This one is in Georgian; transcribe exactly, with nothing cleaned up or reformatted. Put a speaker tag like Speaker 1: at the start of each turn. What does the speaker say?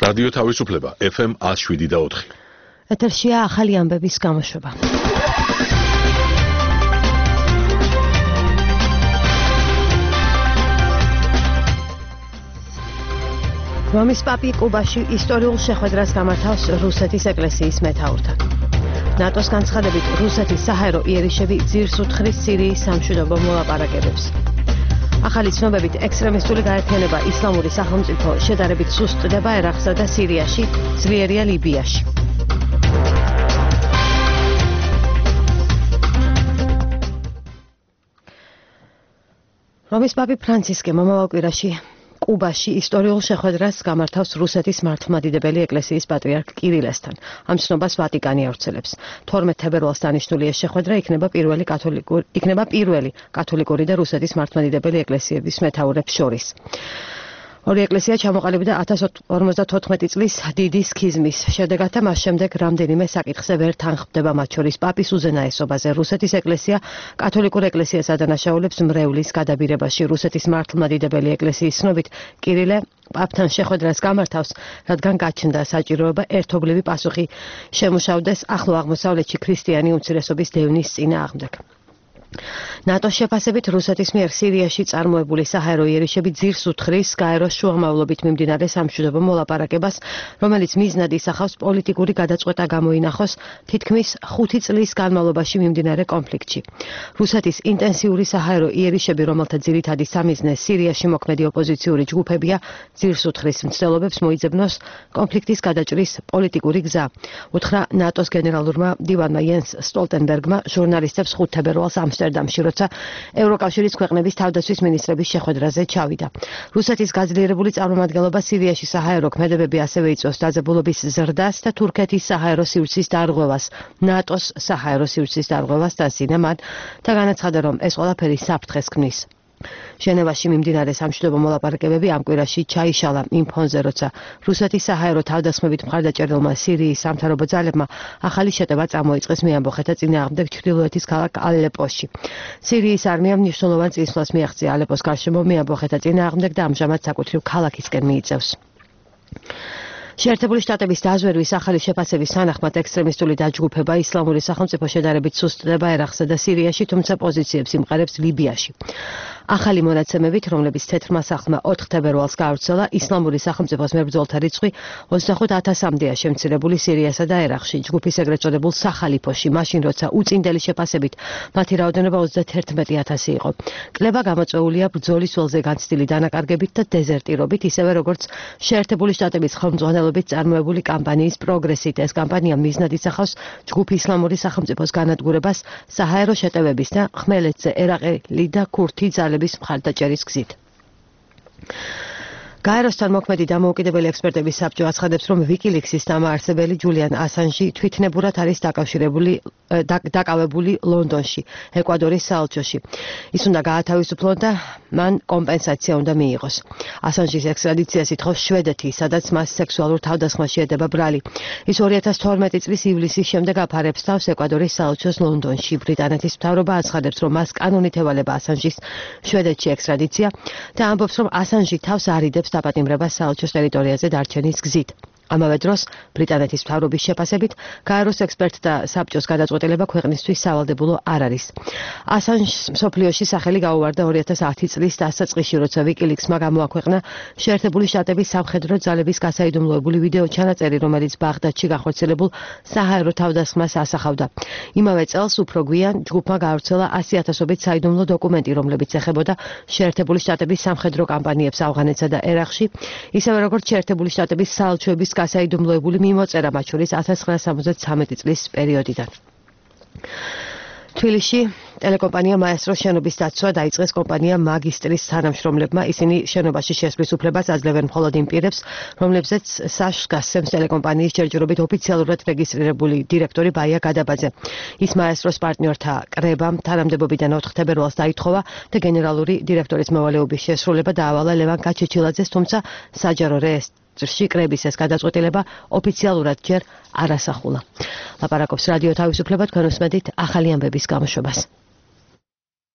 Speaker 1: რადიო თავისუფლება ეფ ემ ნული შვიდი და ოთხი.
Speaker 2: ეთერშია ახალი ამბების გამოშვება. რომის პაპი კუბაში ისტორიულ შეხვედრას გამართავს რუსეთის ეკლესიის მეთაურთან. ნატოს განცხადებით რუსეთის საჰაერო იერიშები ძირს უთხრის სირიის სამშვიდობო მოლაპარაკებებს. ახალი ცნობებით ექსტრემისტული გაერთიანება ისლამური სახელმწიფო შედარებით სუსტდება ერაყსა და სირიაში, ძლიერია ლიბიაში. რომის პაპი ფრანცისკე მომავალ კვირაში კუბაში ისტორიულ შეხვედრას გამართავს რუსეთის მართლმადიდებელი ეკლესიის პატრიარქ კირილესთან. ამ ცნობას ვატიკანი ავრცელებს. თორმეტ თებერვალს დანიშნული ეს შეხვედრა იქნება პირველი კათოლიკური იქნება პირველი კათოლიკური და რუსეთის მართლმადიდებელი ეკლესიების მეთაურებს შორის. ორი ეკლესია ჩამოყალიბდა ათას ორმოცდათოთხმეტი წლის დიდი სქიზმის შედეგად და მას შემდეგ რამდენიმე საკითხზე ვერ თანხმდება, მათ შორის პაპის უზენაესობაზე. რუსეთის ეკლესია კათოლიკურ ეკლესიას ადანაშაულებს მრევლის გადაბირებაში. რუსეთის მართლმადიდებელი ეკლესიის ცნობით კირილე პაპთან შეხვედრას გამართავს, რადგან გაჩნდა საჭიროება ერთობლივი პასუხი შემუშავდეს ახლო აღმოსავლეთში ქრისტიანი უმცირესობის დევნის წინააღმდეგ. ნატოს შეფასებით რუსეთის მიერ სირიაში წარმოებული საჰაერო იერიშები ძირს უთხრის გაეროს შუამავლობით მიმდინარე სამშვიდობო მოლაპარაკებას, რომელიც მიზნად ისახავს პოლიტიკური გადაწყვეტა გამოინახოს თითქმის ხუთი წლის განმავლობაში მიმდინარე კონფლიქტში. რუსეთის ინტენსიური საჰაერო იერიშები, რომელთა ძირითადი სამიზნე სირიაში მოქმედი ოპოზიციური ჯგუფებია, ძირს უთხრის მცდელობებს მოიძებნოს კონფლიქტის გადაჭრის პოლიტიკური გზა. უთხრა ნატოს გენერალურმა მდივანმა იენს სტოლტენბერგმა ჟურნალისტებს ხუთ თებერვალს ამსტერდამში, როცა ევროკავშირის ქვეყნების თავდაცვის მინისტრების შეხვედრაზე ჩავიდა. რუსეთის გაძლიერებული წარმომადგენლობა სირიაში საჰაერო ქმედებები ასევე იწვევს დაძაბულობის ზრდას და თურქეთის საჰაერო სივრცის დარღვევას, ნატოს საჰაერო სივრცის დარღვევას დასინა მათ და განაცხადა, რომ ეს ყველაფერი საფრთხეს ქმნის. ჟენევაში მიმდინარე სამშვიდობო მოლაპარაკებები ამ კვირაში ჩაიშალა იმ ფონზე, როცა რუსეთის საჰაერო თავდასხმებით მხარდაჭერილმა სირიის სამთავრობო ძალებმა ახალი შეტევა წამოიწყეს მეამბოხეთა წინააღმდეგ ჩრდილოეთის ქალაქ ალეპოში. სირიის არმიამ მნიშვნელოვან წინსვლას მიაღწია ალეპოს გარშემო მეამბოხეთა წინააღმდეგ და ამჟამად საკუთრივ ქალაქისკენ მიიწევს. შეერთებული შტატების დაზვერვის ახალი შეფასების თანახმად ექსტრემისტული დაჯგუფება ისლამური სახელმწიფო შედარებით სუსტდება ერაყსა და სირიაში, თუმცა პოზიციებს იმყარებს ლიბიაში. ახალი მონაცემებით, რომლებიც თეთრმა სახლმა ოთხ თებერვალს გაავრცელა, ისლამური სახელმწიფოს მებრძოლთა რიცხვი ოცდახუთ ათასამდეა შემცირებული სირიასა და ერაყში, ჯგუფის ეგრეთ წოდებულ სახალიფოში, მაშინ როცა უწინდელი შეფასებით მათი რაოდენობა ოცდათერთმეტი ათასი იყო. კლება გამოწვეულია ბრძოლის ველზე განცდილი დანაკარგებით და დეზერტირობით, ისევე როგორც შეერთებული შტატების ხელმძღვანელობით წარმოებული კამპანიის პროგრესით. ეს კამპანია მიზნად ისახავს ჯგუფ ისლამური სახელმწიფოს განადგურებას საჰაერო შეტევების და ხმელეთზე ერაყელი და ქურთი ძალების მხარდაჭერის გზით. გაეროსთან მოქმედი დამოუკიდებელი ექსპერტების საბჭო აცხადებს, რომ ვიკილიქსის დამაარსებელი ჯულიან ასანჟი თვითნებურად არის დაკავშირებული დაკავებული ლონდონში, ეკვადორის საელჩოში. ის უნდა გაათავისუფლონ და მან კომპენსაცია უნდა მიიღოს. ასანჟის ექსტრადიციას ითხოვს შვედეთი, სადაც მას სექსუალურ თავდასხმაში ედება ბრალი. ის ორი ათას თორმეტი წლის ივლისის შემდეგ აფარებს თავს ეკვადორის საელჩოს ლონდონში. ბრიტანეთის მთავრობა აცხადებს, რომ მას კანონით ევალება ასანჟის შვედეთში ექსტრადიცია და ამბობს, რომ ასანჟი თავს არიდებს დაპატიმრებას საელჩოს ტერიტორიაზე დარჩენის გზით. ამავე დროს ბრიტანეთის მთავრობის შეფასებით გაეროს ექსპერტთა საბჭოს გადაწყვეტილება ქვეყნისთვის სავალდებულო არ არის. ასანჟს მსოფლიოში სახელი გაუვარდა ორი ათას ათი წლის დასაწყისში, როცა ვიკილიქსმა გამოაქვეყნა შეერთებული შტატების სამხედრო ძალების გასაიდუმლოებული ვიდეო ჩანაწერი, რომელიც ბაღდადში განხორციელებულ საჰაერო თავდასხმას ასახავდა. იმავე წელს უფრო გვიან ჯგუფმა გაავრცელა ასი ათასობით საიდუმლო დოკუმენტი, რომლებიც ეხებოდა შეერთებული შტატების სამხედრო კამპანიებს ავღანეთსა და ერაყში, ისევე როგორც შეერთებული შტატების საელჩოების გასაიდუმლოებული მიმოწერა, მათ შორის ათას ცხრაასა სამოცდათვრამეტი წლის პერიოდიდან. თბილისში ტელეკომპანია მაესტროს შენობის დაცვა დაიწყეს კომპანია მაგისტრის თანამშრომლებმა. ისინი შენობაში შესვლის უფლებას აძლევენ მხოლოდ იმ პირებს, რომლებზეც საშს გასცემს ტელეკომპანიის ჯერჯერობით ოფიციალურად რეგისტრირებული დირექტორი ბაია გადაბაძე. ის მაესტროს პარტნიორთა კრებამ თანამდებობიდან ოთხ თებერვალს დაითხოვა და გენერალური დირექტორის მოვალეობის შესრულება დაავალა ლევან გაჩეჩილაძეს, თუმცა საჯარო რეესტრში კრების ეს გადაწყვეტილება ოფიციალურად ჯერ არ ასახულა. ლაპარაკობს რადიო თავისუფლება, თქვენ უსმენთ ახალი ამბების გამოშვებას.